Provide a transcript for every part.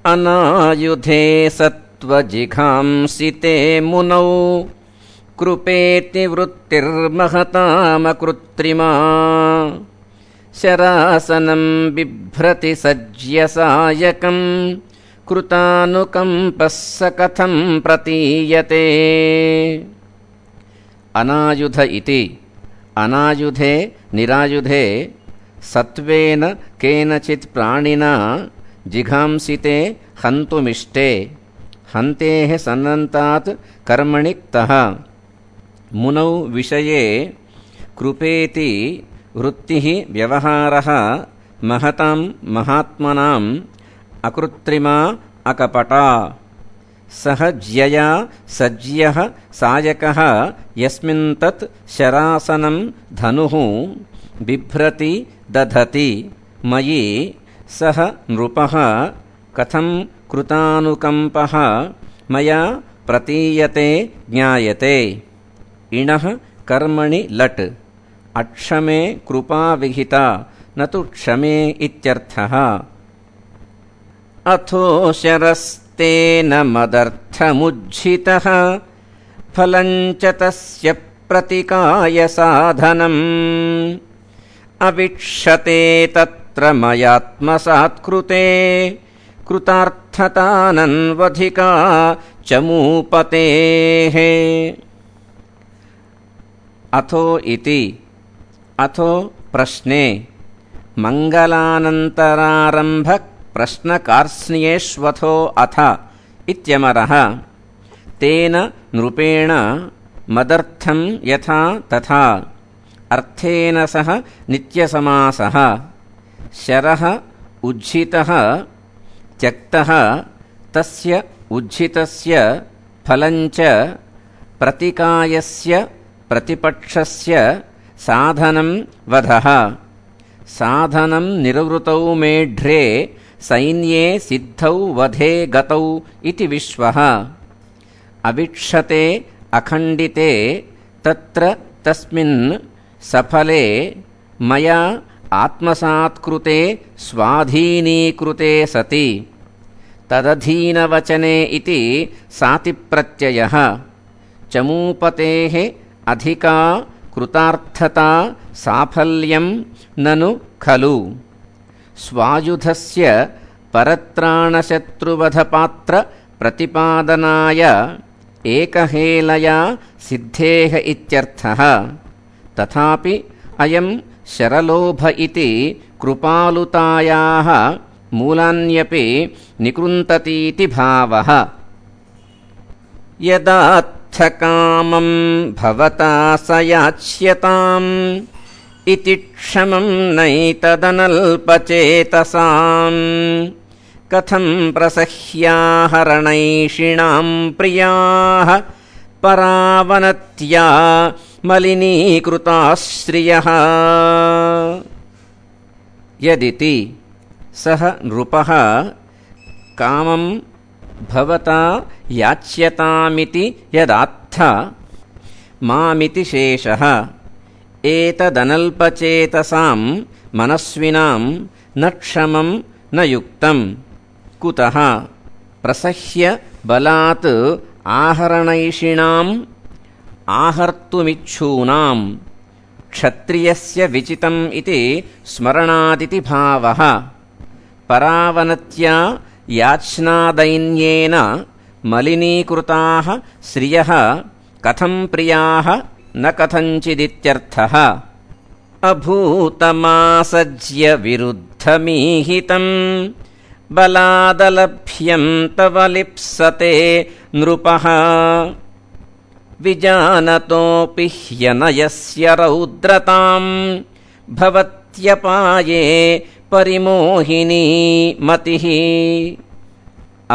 अनायुधे सत्त्वजिघांसिते मुनौ कृपेति वृत्तिर्महतामकृत्रिमा शरासनं बिभ्रति सज्यसायकं कृतानुकम्पः स कथं प्रतीयते। अनायुध इति अनायुधे निरायुधे सत्वेन केनचित् प्राणिना जिघांसिते हन्तुमिष्टे हन्तेः सन्नन्तात् कर्मणि क्तः मुनौ विषये कृपेति वृत्तिः व्यवहारः महतां महात्मनाम् अकृत्रिमा अकपटा सह ज्यया सज्यः सायकः यस्मिन् तत् शरासनं धनुः बिभ्रति दधति मयि सः नृपः कथं कृतानुकम्पः मया प्रतीयते ज्ञायते। इणः कर्मणि लट् अक्षमे कृपा विहिता न तु क्षमे इत्यर्थः। अथो शरस्तेन मदर्थमुज्झितः फलं च तस्य प्रतिकाय साधनम् अवीक्षते तत्र मयात्मसात्कृते कृतार्थतानन्वधिका चमूपतेः। अथो इति अथो प्रश्ने मंगलानन्तरारम्भ प्रश्नकार्ष्ण्येष्वथो अथ इत्यमरः तेन नृपेण मदर्थं यथा तथा अर्थेन सह नित्यसमासः शरः उज्झितः त्यक्तः तस्य उज्झितस्य फलञ्च प्रतिकायस्य प्रतिपक्षस्य साधनं वधः साधनं निर्वृतौ मेढ्रे सैन्ये सिद्धौ वधे गतौ इति विश्वः। अवीक्षते अखण्डिते तत्र तस्मिन् सफले मया आत्मसात्कृते स्वाधीनीकृते सति तदधीनवचने इति सातिप्रत्ययः। चमूपतेः अधिका कृतार्थता साफल्यं ननु खलु स्वायुधस्य परत्राणशत्रुवधपात्र प्रतिपादनाय एकहेलया सिद्धेः इत्यर्थः। तथापि अयं शरलोभ इति कृपालुतायाः मूलान्यपि निकृन्ततीति भावः। यदार्थकामं भवता स याच्यताम् इति क्षमं नैतदनल्पचेतसाम् कथं प्रसह्याहरणैषिणां प्रियाः परावनत्या मलिनीकृताश्रियः। यदिति सः नृपः कामं भवता याच्यतामिति यदात्थ मामिति शेषः एतदनल्पचेतसां मनस्विनां न क्षमं न युक्तं कुतः प्रसह्य बलात् आहरणैषिणाम् आहर्तुमिच्छूनां क्षत्रियस्य विचितम् इति स्मरणादिति भावः। परावनत्या याच्नादैन्येन मलिनीकृताः श्रियः कथं प्रियाः न कथञ्चिदित्यर्थः। अभूतमासज्य विरुद्धमीहितं बलादलभ्यं तव लिप्सते नृपः विजानतोऽपि ह्यनयस्य रौद्रतां भवत्यपाये परिमोहिनी मतिः।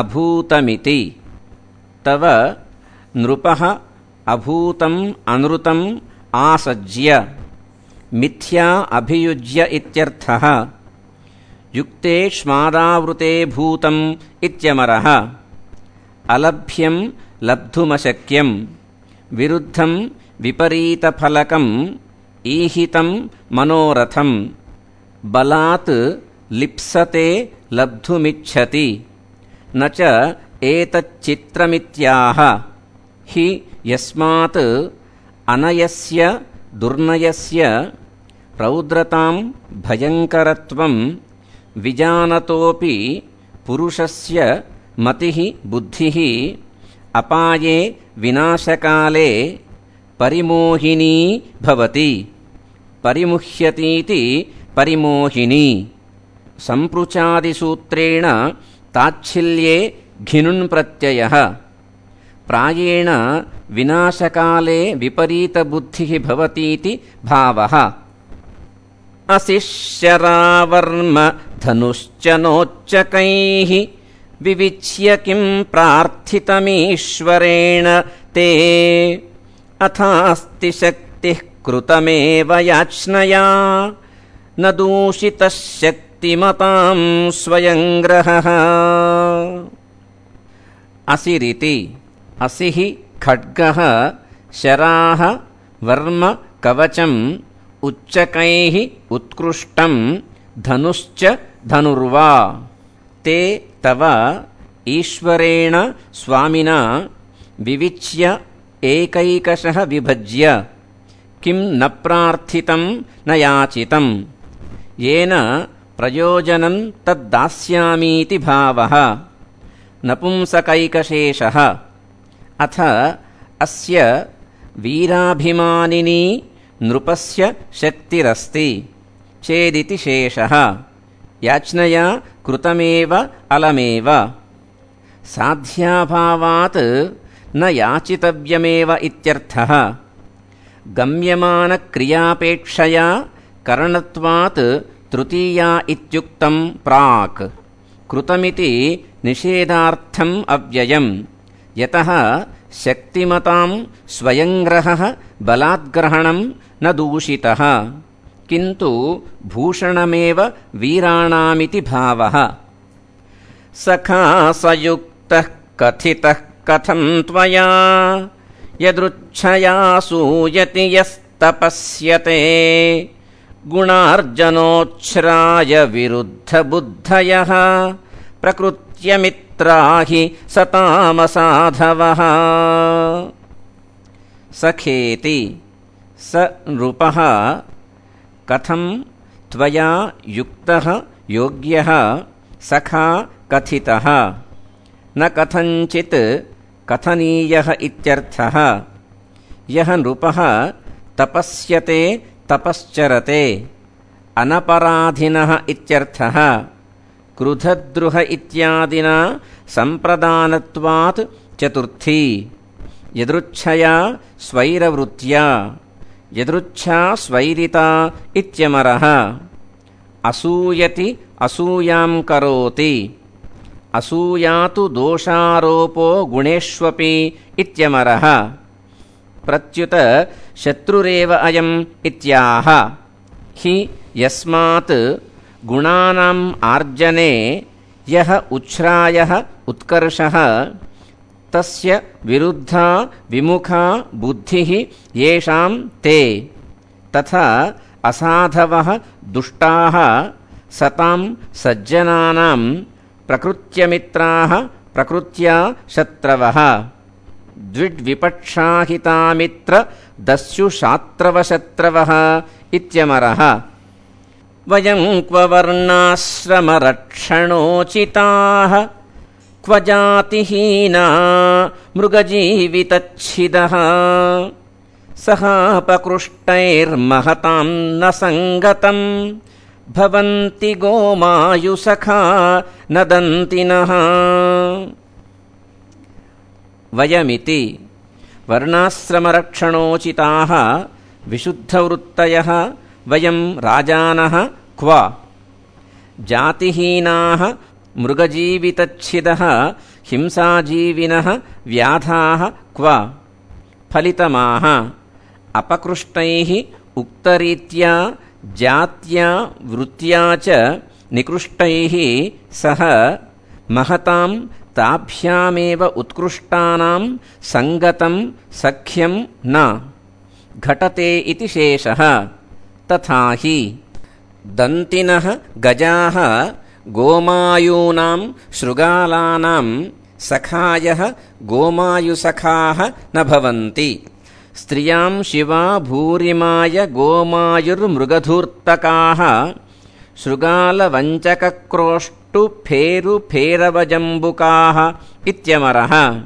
अभूतमिति तव नृपः अभूतम् अनृतम् आसज्य मिथ्या अभियुज्य इत्यर्थः। युक्तेष्मादावृते भूतम् इत्यमरः। अलभ्यं लब्धुमशक्यं विरुद्धं विपरीतफलकम् ईहितं मनोरथं बलात् लिप्सते लब्धुमिच्छति न च एतच्चित्रमित्याह हि यस्मात् अनयस्य दुर्नयस्य रौद्रतां भयङ्करत्वं विजानतोऽपि पुरुषस्य मतिः बुद्धिः अपाये विनाशकाले परिमोहिनी भवति। परिमुह्यतीति परिमोहिनी। सम्पृचादिसूत्रेण ताच्छिल्ये घिनुन् प्रत्ययः। प्रायेण विनाशकाले विपरीतबुद्धिः भवतीति भावः। असिश्यरावर्म धनुश्च नोच्चकैः विविच्य किं प्रार्थितमीश्वरेण ते अथास्ति शक्तिः कृतमेव याच्नया न दूषितः शक्तिमतां स्वयंग्रहः। असिरिति असिः खड्गः शराः वर्म कवचम् उच्चकैः उत्कृष्टं धनुश्च धनुर्वा ते तव ईश्वरेण स्वामिना विविच्य एकैकशः विभज्य किं न प्रार्थितं न याचितं येन प्रयोजनं तद्दास्यामीति भावः। नपुंसकैकशेषः। अथ अस्य वीराभिमानिनी नृपस्य शक्तिरस्ति चेदिति शेषः। याच्नया कृतमेव अलमेव। साध्याभावात् न याचितव्यमेव इत्यर्थः। गम्यमानक्रियापेक्षया करणत्वात् तृतीया इत्युक्तं प्राक्। कृतमिति निषेधार्थम् अव्ययम्। यतः शक्तिमतां स्वयंग्रहः बलाद्ग्रहणं न दूषितः किन्तु भूषणमेव वीराणामिति भावः। सखा सयुक्तः कथितः कथं त्वया यदृच्छया सूयति यस्तपस्यते गुणार्जनोच्छ्राय विरुद्धबुद्धयः प्रकृत्यमित्राहि सतामसाधवः। सखेति स नृपः कथं त्वया युक्तः योग्यः सखा कथितः न कथञ्चित् कथनीयः इत्यर्थः। यः नृपः तपस्यते तपश्चरते अनपराधिनः इत्यर्थः। क्रुधद्रुह इत्यादिना सम्प्रदानत्वात् चतुर्थी। यदृच्छया स्वैरवृत्त्या यदृच्छा स्वैरिता इत्यमरः। असूयति असूयां करोति असूयातु दोषारोपो गुणेष्वपि इत्यमरः। प्रत्युत शत्रुरेव अयम् इत्याह। हि यस्मात् गुणानाम् आर्जने यः उच्छ्रायः उत्कर्षः तस्य विरुद्धा विमुखा बुद्धिः येषां ते तथा असाधवः दुष्टाः सतां सज्जनानां प्रकृत्यमित्राः प्रकृत्या शत्रवः। द्विड्विपक्षाहितामित्र दस्युषात्रवशत्रवः इत्यमरः। वयं क्व वर्णाश्रमरक्षणोचिताः क्व जातिहीना मृगजीवितच्छिदः सहापकृष्टैर्महतां न सङ्गतं भवन्ति गोमायुसखा नदन्तिनः। वयमिति वर्णाश्रमरक्षणोचिताः विशुद्धवृत्तयः वयं राजानः क्व जातिहीनाः मृगजीवितच्छिदः हिंसाजीविनः व्याधाः क्व फलितमाः अपकृष्टैः उक्तरीत्या जात्या वृत्त्या च निकृष्टैः सह महतां ताभ्यामेव उत्कृष्टानां संगतं सख्यं न घटते इति शेषः। तथा हि दन्तिनः गजाः गोमायूनां शृगालानां सखायः गोमायुसखाः न भवन्ति। स्त्रियां शिवा भूरिमाय गोमायुर्मृगधूर्तकाः शृगालवञ्चकक्रोष्टुफेरुफेरवजम्बुकाः इत्यमरः।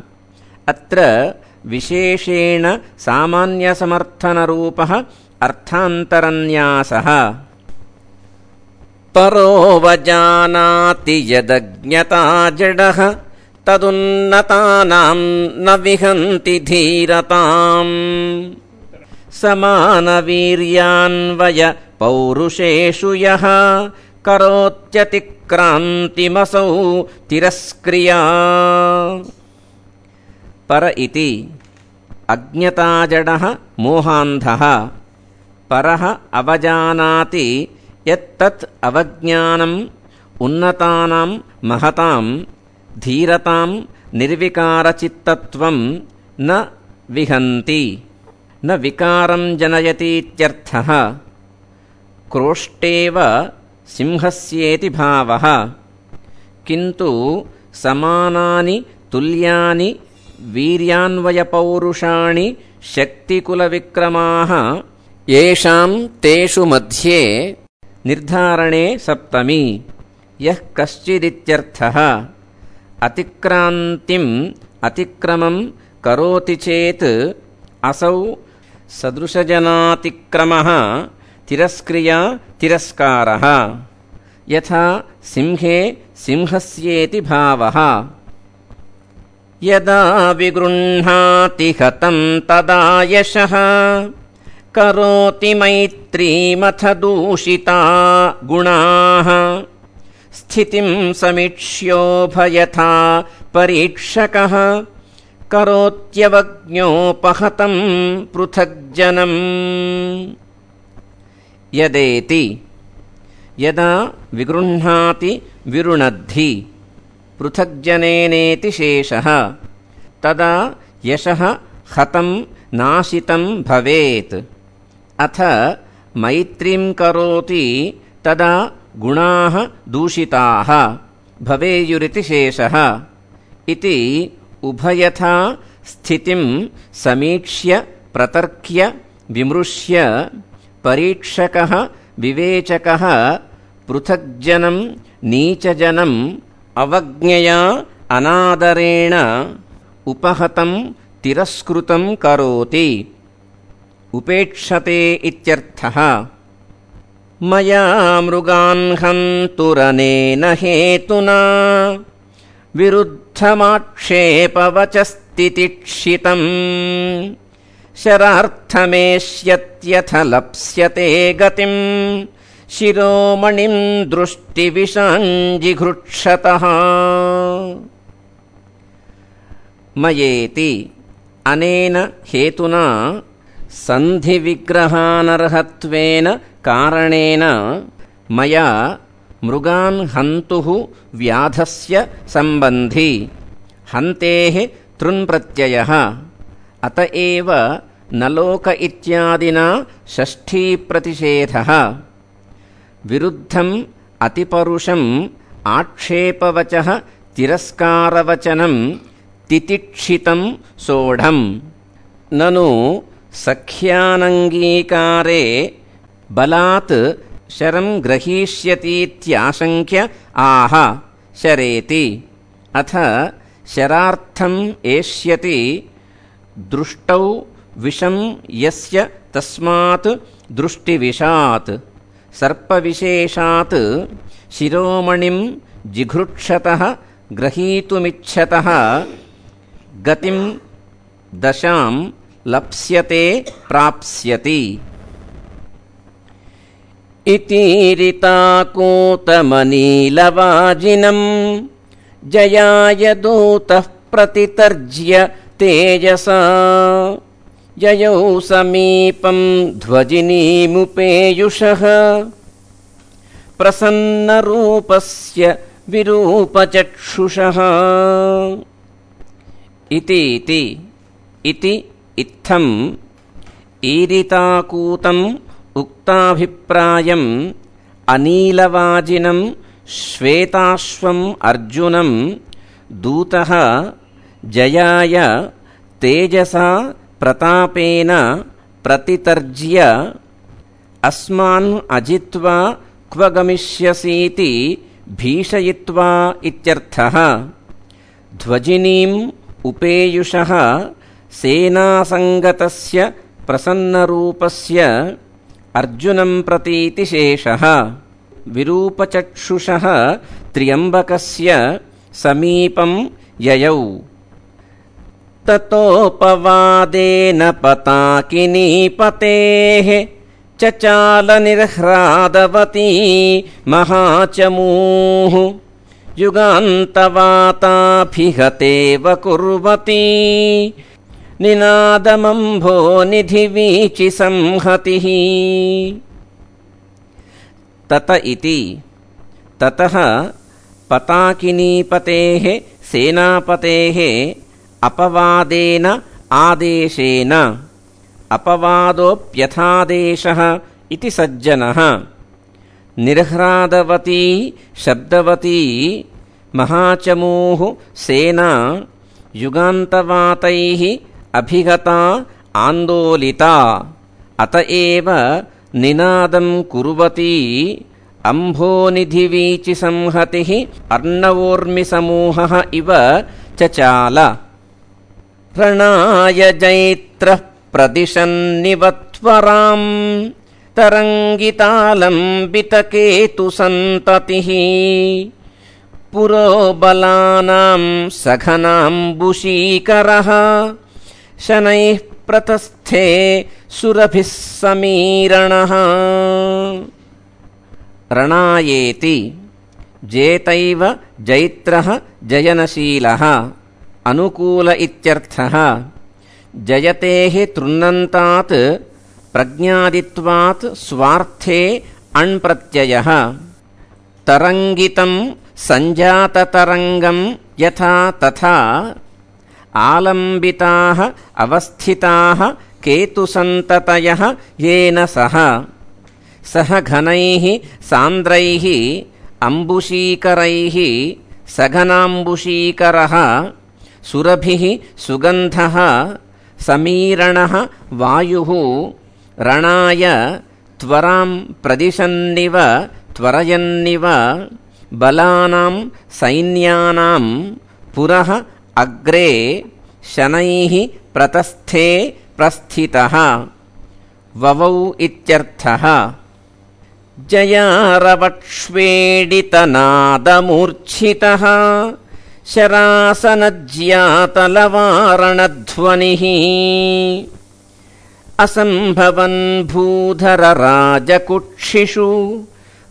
अत्र विशेषेण सामान्यसमर्थनरूपः अर्थान्तरन्यासः। परोवजानाति यदज्ञता जडः तदुन्नतानां न विहन्ति धीरताम्। समानवीर्यान्वय पौरुषेषु यः करोत्यतिक्रान्तिमसौ तिरस्क्रिया। पर इति अज्ञताजडः मोहान्धः। परः अवजानाति यत्तत् अवज्ञानम् उन्नतानां महतां धीरतां निर्विकारचित्तत्वं न विहन्ति न विकारं जनयतीत्यर्थः। क्रोष्टेव सिंहस्येति भावः। किन्तु समानानि तुल्यानि वीर्यान्वयपौरुषाणि शक्तिकुलविक्रमाः येषां तेषु मध्ये निर्धारणे सप्तमी यः कश्चिदित्यर्थः। अतिक्रान्तिम् अतिक्रमं करोति चेत् असौ सदृशजनातिक्रमः तिरस्क्रिया तिरस्कारः। यथा सिंहे सिंहस्येति भावः। यदा विगृह्णाति हतं तदा यशः करोति मैत्रीमथ दूषिता गुणाः। स्थितिं समीक्ष्योभयथा परीक्षकः करोत्यवज्ञोपहतं पृथग्जनम्। यदेति यदा विगृह्णाति विरुणद्धि पृथग्जनेनेति शेषः तदा यशः हतं नाशितं भवेत्। अथ मैत्रीं करोति तदा गुणाः दूषिताः भवेयुरिति शेषः। इति उभयथा स्थितिं समीक्ष्य प्रतर्क्य विमृश्य परीक्षकः विवेचकः पृथग्जनं नीचजनम् अवज्ञया अनादरेण उपहतं तिरस्कृतं करोति उपेक्षते इत्यर्थः। मया मृगान् हन्तुरनेन हेतुना विरुद्धमाक्षेपवचस्तितिक्षितम् शरार्थमेष्यत्यथ लप्स्यते गतिं शिरोमणिं दृष्टिविषाञ्जिघृक्षतः। मयेति अनेन हेतुना सन्धिविग्रहानर्हत्वेन कारणेन मया मृगान् हन्तुः व्याधस्य सम्बन्धी हन्तेः तृन्प्रत्ययः। अत एव नलोक इत्यादिना षष्ठीप्रतिषेधः। विरुद्धम् अतिपरुषम् आक्षेपवचः तिरस्कारवचनं तितिक्षितं सोढम्। ननु सख्यानङ्गीकारे बलात् शरं ग्रहीष्यतीत्याशङ्क्य आह शरेति। अथ शरार्थम् एष्यति दृष्टौ विषं यस्य तस्मात् दृष्टिविषात् सर्पविशेषात् शिरोमणिं जिघृक्षतः ग्रहीतुमिच्छतः गतिं दशां लप्स्यते प्राप्स्यति। इतीरिताकूतमनीलवाजिनं जयाय दूतः प्रतितर्ज्य तेजसा ययौ समीपं ध्वजिनीमुपेयुषः प्रसन्नरूपस्य विरूपचक्षुषः। इति इत्थम् ईरिताकूतम् उक्ताभिप्रायम् अनीलवाजिनं श्वेताश्वम् अर्जुनं दूतः जयाय तेजसा प्रतापेन प्रतितर्ज्य अस्मान् अजित्वा क्व गमिष्यसीति भीषयित्वा इत्यर्थः। ध्वजिनीम् उपेयुषः सेनासङ्गतस्य प्रसन्नरूपस्य अर्जुनं प्रतीति शेषः। विरूपचक्षुषः त्र्यम्बकस्य समीपं ययौ। ततोपवादेन पताकिनीपतेः चचालनिर्ह्रादवती महाचमूः युगान्तवाताभिहतेव कुर्वती निनादमम्भो निधिवीचि संहतिः। तत इति ततः पताकिनीपतेः सेनापतेः अपवादेन आदेशेन। अपवादोऽप्यथादेशः इति सज्जनः। निर्ह्रादवती शब्दवती महाचमूः सेना युगान्तवातैः अभिगता आन्दोलिता। अतएव निनादं कुर्वती अम्भोनिधिवीचि संहतिः अर्णवोर्मिसमूहः इव चचाल। रणाय जैत्रः प्रदिशन्निवत्वराम् तरङ्गितालम्बितकेतुसन्ततिः पुरोबलानां सघनाम्बुशीकरः शनैः प्रतस्थे सुरभिः समीरणः। रणायेति जेतैव जैत्रः जयनशीलः अनुकूल इत्यर्थः। जयतेः तृण्णन्तात् प्रज्ञादित्वात् स्वार्थे अण्प्रत्ययः। तरङ्गितं सञ्जाततरङ्गं यथा तथा आलम्बिताः अवस्थिताः केतुसन्ततयः येन सह। सह घनैः सान्द्रैः अम्बुशीकरैः सघनाम्बुशीकरः सुरभिः सुगन्धः समीरणः वायुः रणाय त्वरां प्रदिशन्निव त्वरयन्निव बलानां सैन्यानां पुरः अग्रे शनैः प्रतस्थे प्रस्थितः। ववौ इत्यर्थः। जयारवक्ष्वेडितनादमूर्च्छितः शरासनज्यातलवारणध्वनिः असम्भवन् भूधरराजकुक्षिषु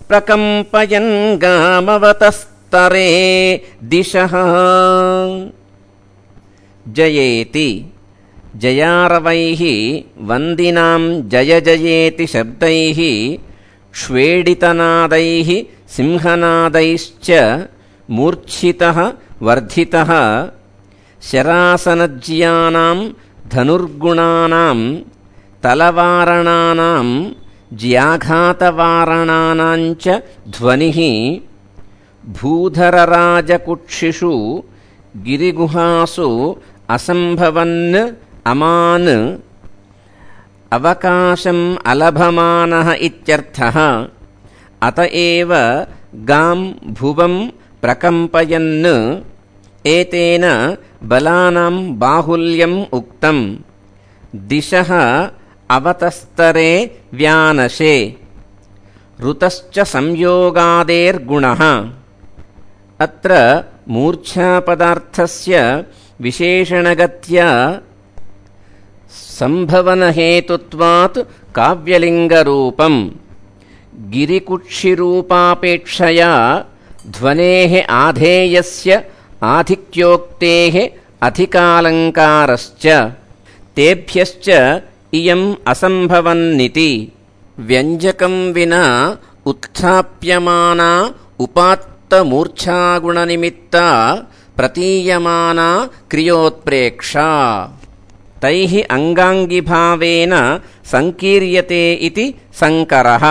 प्रकम्पयन् गामवतस्तरे दिशः। जयेति जयारवैः वन्दिनां जय जयेति शब्दैः क्ष्वेडितनादैः सिंहनादैश्च मूर्च्छितः वर्धितः शरासनज्यानां धनुर्गुणानां तलवारणानां ज्याघातवारणानाञ्च ध्वनिः भूधरराजकुक्षिषु गिरिगुहासु असम्भवन् अमान् अवकाशम् अलभमानः इत्यर्थः। अतएव गां भुवं प्रकम्पयन् एतेन बलानां बाहुल्यम् उक्तम्। दिशः अवतस्तरे व्यानशे। ऋतश्च संयोगादेर्गुणः। अत्र मूर्च्छापदार्थस्य विशेषणगत्या संभवनहेतुत्वात् काव्यलिङ्गरूपम्। गिरिकुक्षिरूपापेक्षया ध्वनेः आधेयस्य आधिक्योक्तेः अधिकालङ्कारश्च तेभ्यश्च इयम् असम्भवन्निति। व्यञ्जकं विना उत्थाप्यमाना उपात्तमूर्च्छागुणनिमित्ता प्रतीयमाना क्रियोत्प्रेक्षा तैः अङ्गाङ्गिभावेन सङ्कीर्यते इति सङ्करः।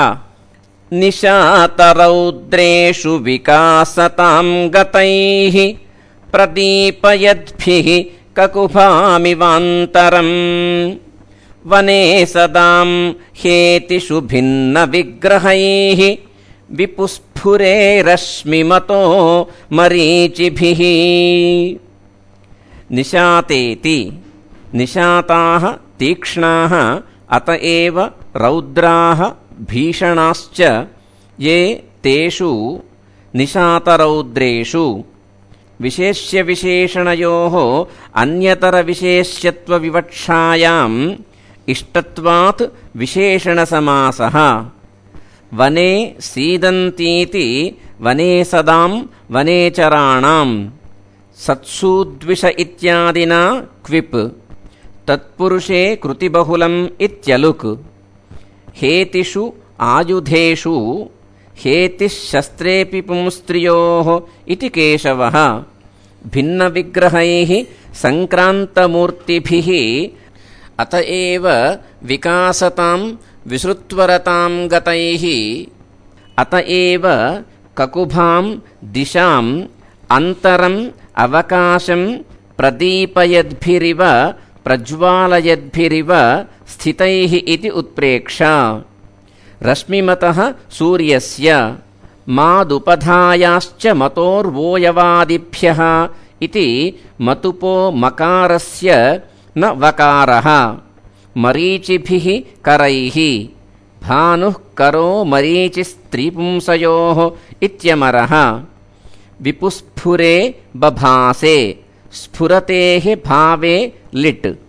निशातरौद्रेषु विकासतां गतैः प्रदीपयद्भिः ककुभामिवान्तरम् वने सदां हेतिषु भिन्नविग्रहैः विपुस्फुरे रश्मिमतो मरीचिभिः। निशातेति निशाताः तीक्ष्णाः अत एव रौद्राः भीषणाश्च ये तेषु निशातरौद्रेषु विशेष्यविशेषणयोः अन्यतरविशेष्यत्वविवक्षायाम् इष्टत्वात् विशेषणसमासः। वने सीदन्तीति वने सदां वनेचराणां सत्सूद्विष इत्यादिना क्विप् तत्पुरुषे कृतिबहुलम् इत्यलुक्। हेतिषु आयुधेषु हेतिः शस्त्रेऽपि पुंस्त्रियोः इति केशवः। भिन्नविग्रहैः सङ्क्रान्तमूर्तिभिः अत एव विकासतां विसृत्वरतां गतैः अत एव ककुभां दिशाम् अन्तरम् अवकाशं प्रदीपयद्भिरिव प्रज्वालयद्भिरिव स्थितैः इति उत्प्रेक्ष। रश्मिमतः सूर्यस्य मादुपधायाश्च मतोर्वोयवादिभ्यः इति मतुपो मकारस्य न वकारः। मरीचिभिः करैः भानुः करो मरीचिस्त्रीपुंसयोः इत्यमरः। विपुस्फुरे बभासे स्फुरतेः भावे लिट्।